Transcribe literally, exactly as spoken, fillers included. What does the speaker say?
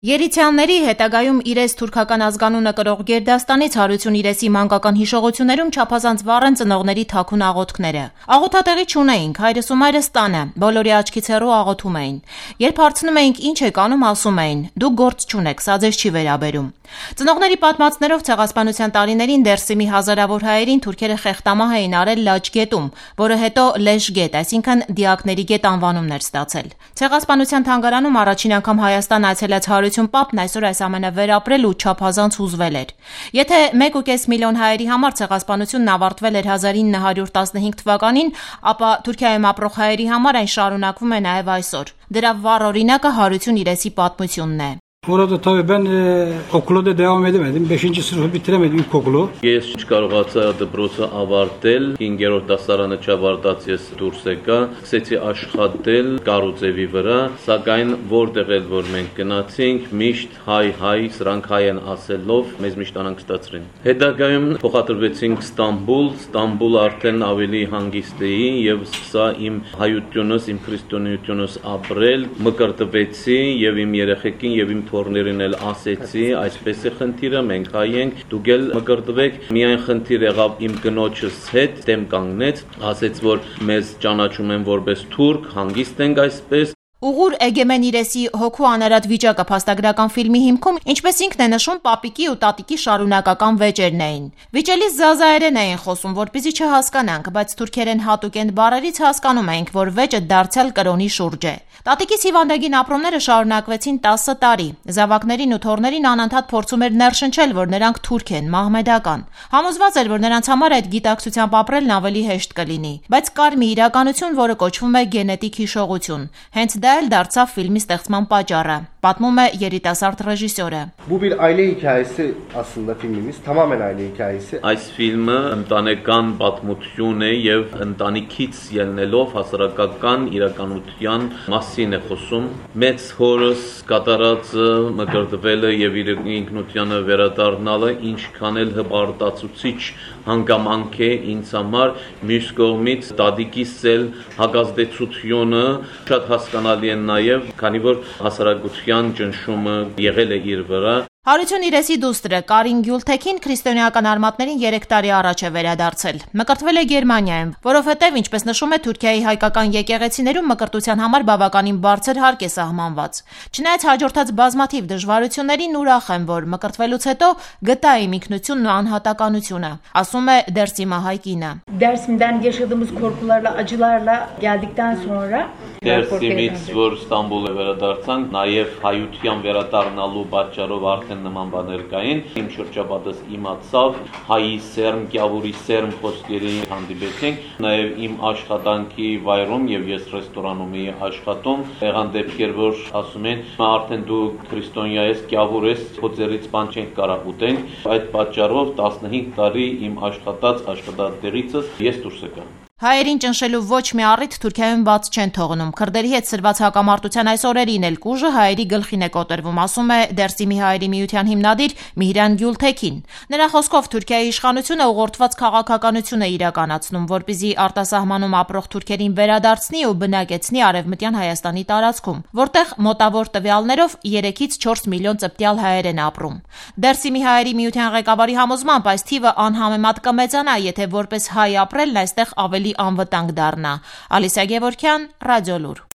Երիցյանների հետագայում իրենց թուրքական ազգանունը կրող գերդաստանից Հարություն Իրեսի մանկական հիշողություններում չափազանց վառ են ծնողների թաքուն աղոթքները։ Աղոթատեղի չունեինք, հայրս ու մայրս տանը, բոլորի աչքից հեռու աղոթում էին։ Երբ հարցնում էինք ինչ եք անում, ասում էին՝ դուք գործ չունեք, սա ձեզ չի վերաբերում։ Ծնողների պատմածներով ցեղասպանության տարիներին Դերսիմի հազարավոր հայերին թուրքերը խեղտամահ էին արել Լաչգետում, որը հետո Լեշգետ, այսինքն դիակների գետ անվանումն էր ստացել։ Ցեղասպանության թանգարանում առաջին անգամ Հայաստան այցելած Հարություն Պապն այսօր այս ամենը վերապրել ու չափազանց հուզվել էր։ Եթե մեկ ու կես միլիոն հայերի համար ցեղասպանությունն ավարտվել էր հազար ինը հարյուր տասնհինգ թվականին, ապա Թուրքիայում ապրող հայերի համար այն շարունակվում է նաև այսօր։ Դրա վառ օրինակը Հարություն Իրեսի պատմությունն է։ Orada tabii ben e, okula da devam edemedim. beşinci sınıfı bitiremedim ilkokulu. Ես չկարողացա դպրոցը ավարտել, հինգերորդ դասարանը չավարտած ես դուրս եկա, սկսեցի աշխատել Կարուձևի վրա, սակայն որտեղ էլ որ մենք գնացինք, միշտ հայ հայ, սրանք հայ են ասելով, մեզ միշտ անհանգստացրին։ Հետագայում փոխադրվեցինք Ստամբուլ, Ստամբուլ արդեն ավելի հանգիստ էի եւ սկսա իմ հայությունս, իմ քրիստոնեությունս ապրել, մկրտվեցի եւ իմ երեխեքին եւ իմ թորներին էլ ասեցի, այսպես է խնդիրը, մենք հայ ենք, դուք էլ մկրտվեք, միայն խնդիր եղավ իմ կնոջս հետ, դեմ կանգնեց, ասեց, որ մեզ ճանաչում են որպես թուրք, հանգիստ ենք այսպես։ Ուղուր Էգեմեն Իրեսի հոգու անարատ վիճակը փաստագրական ֆիլմի հիմքում, ինչպես ինքն է նշում, պապիկի ու տատիկի շարունակական վեճերն էին։ Վիճելիս զազայերեն էին խոսում, որպեսզի չհասկանանք, բայց թուրքերեն հատուկենտ բառերից հասկանում էինք, որ վեճը դարձյալ կրոնի շուրջ է։ Տատիկիս հիվանդագին ապրումները շարունակվեցին տասը տարի։ Զավակներին ու թորներին անընդհատ փորձում էր ներշնչել, որ նրանք թուրք են, մահմեդական։ Համոզված էր, որ նրանց համար այդ գիտակցությամբ ապրելն ավելի հեշտ կլինի, բայց կար մի իրականություն, որը կոչվում է գենետիկ հիշողություն։ Հենց դա էլ դարձավ ֆիլմի ստեղծման պատճառը, պատմում է երիտասարդ ռեժիսորը։ Bu bir aile hikayesi aslında filmimiz, tamamen aile hikayesi. Այս ֆիլմը ընտանեկան պատմություն է եւ ընտանիքից ելնելով հասարակական իրականության մասին է խոսում։ Մեծ հորս կատարածը մկրտվելը եւ իր ինքնությանը վերադառնալը ինչքան էլ հպարտացուցիչ հանգամանք է ինձ համար, մյուս կողմից տատիկիս էլ հակազդեցությունը շատ հասկանալի է նաեւ, քանի որ հասարակության ճնշումը եղել է իր վրա։ Հարություն Իրեսի դուստրը Կարին Գյուլթեքին քրիստոնեական արմատներին երեք տարի առաջ է վերադարձել։ Մկրտվել է Գերմանիայում, որովհետև, ինչպես նշում է, Թուրքիայի հայկական եկեղեցիներում մկրտության համար բավականին բարձր հարկ է սահմանված։ Չնայած հաջորդած բազմաթիվ դժվարություններին ուրախ եմ, որ մկրտվելուց հետո գտա իմ ինքնությունն ու անհատականությունը, ասում է Դերսիմա հայկինը։ Dersim'den yaşadığımız korkularla, acılarla geldikten sonra Դերսիմից, որ Ստամբուլը վերադարձանք, նաև հայության վերադառնալու պատճառով արդեն նման բաներ կային, իմ շրջապատս իմացավ, հայի սերմ, կյավուրի սերմ խոսքերի հանդիպեցինք, նաև իմ աշխատանքի վայրում եւ ես ռեստորանում էի աշխատում, եղան դեպքեր, որ ասում են, արդեն դու քրիստոնյա ես, կյավուր ես, փոձերից բան չենք կարող ուտենք, այդ պատճառով տասնհինգ տարի իմ աշխատած աշխատատեղիցս ես դուրս եկա։ Հայերին ճնշելու ոչ մի առիթ Թուրքիայում բաց չեն թողնում։ Քրդերի հետ սրված հակամարտության այս օրերին էլ կուժը հայերի գլխին է կոտրվում, ասում է Դերսիմի հայերի միության հիմնադիր Միհրան Գյուլթեքին։ Նրա խոսքով Թուրքիայի իշխանությունը ուղղորդված քաղաքականություն է իրականացնում, որպեսզի արտասահմանում ապրող թուրքերին վերադարձնի ու բնակեցնի Արևմտյան Հայաստանի տարածքում, որտեղ մոտավոր տվյալներով երեքից չորս միլիոն ծպտյալ հայեր են ապրում։ Դերսիմի հայերի միության ղեկավարի համոզմամբ այս թիվը անհամեմատ կմեծանա, եթե որպես հայ ապրելն այստեղ ավելի անվտանգ դառնա։ Ալիսա Գևորգյան, Ռադիոլուր։